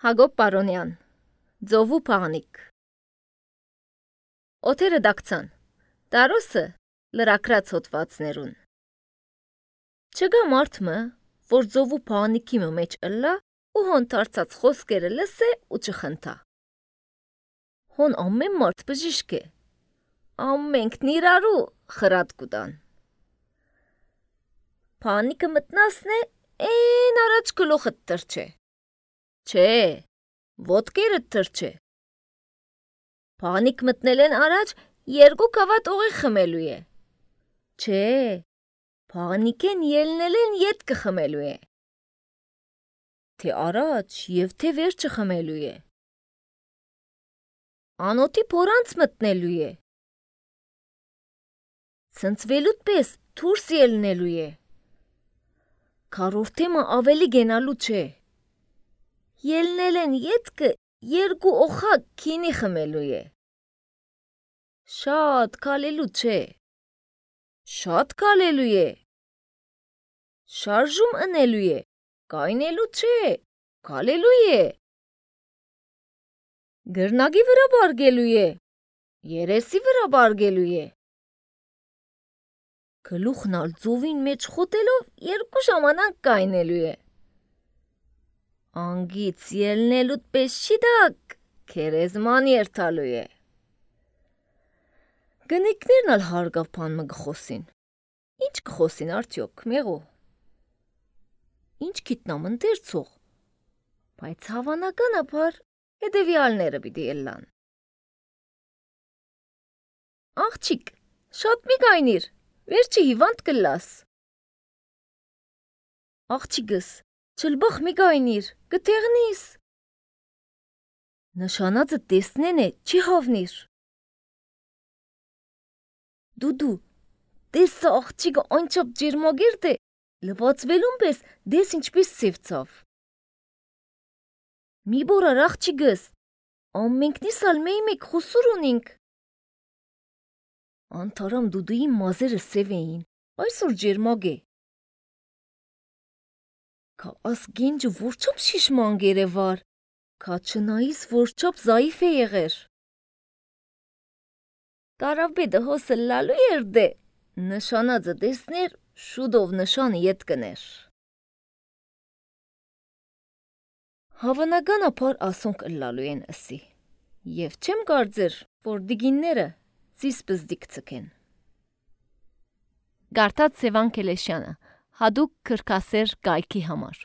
Հակոբ Պարոնյան, Ձովու փաղնիկ։ Օթերը դակցան, տարոսը լրակրած հոտվածներուն։ Չգա մարդմը, որ ձովու փաղնիկի մեջ ըլլա ու հոն թարցած խոսքերը լսե ու չխնդա։ Հոն ամեն մարդ բժիշկ է, ամենքն իրարու խրատ կուտան։ Փաղնիկը մտնասն է, են առաջ գլուխը տրչե։ Չէ, ոտքերը թրջե։ Փաղնիկ մտնելեն առաջ երկու կավատ օղի խմելու է։ Չէ, փաղնիկեն ելնելեն ետքը խմելու է։ Թե առաջ և թե վերջը խմելու է։ Անոթի փորանց մտնելու է։ Ցնցվելուց պես դուրս ելնելու է։ Քառորդեմը ավելի գենալու չէ։ Ելնելեն ետքը երկու օղակ քինի խմելու է։ Շատ քալելու չէ։ Շատ քալելու է։ Շարժում ընելու է, կայնելու չէ, քալելու է։ Գրնագի վրա բարգելու է, երեսի վրա բարգելու է։ Գլուխն ալ ձովին մեջ խոտելով երկու ժամանակ կայնելու է։ Անգից ելնելուց պես շիդակ, քերեզման երթալու է։ Գնիկներն ալ հարգավ բանմը գխոսին։ Ինչ կխոսին արդյոք, մեղու։ Ինչ գիտնամ ընտերցող, բայց հավանականաբար հետևյալները պիտի ելլան։ Աղջիկ, շատ մի գայնիր, վերջի հիվանդ կլաս։ Աղջիկս, չլբախ մի գայնիր, գտեղնիս։ Նշանածը տեսնեն է, չի հավնիր։ Դուդու, տեսա աղջիկը անչապ ջերմագերտ է, լվացվելուն պես դես ինչպես սևցավ։ Մի բորար աղջիկս, ամենքնիս ալ մեկ խուսուր ունինք։ Անթարամ դուդուի մազերը սև էին, այսօր ջերմագ է։ Կա ասգենջը որչապ շիշման գերևար, կա չնայիս որչապ զայիվ է եղեր։ Կարաբեդը հոսը լալու երդե, նշանածը տեսներ, շուդով նշանը ետ կներ։ Հավանականաբար ասոնք ըլլալու են ըսի, և չեմ կարծեր, որ դիգինները ծիս բզդիկ ծկեն։ Գարտած Սևան Քելեշյանը, հադուկ քրքասեր կայքի համար։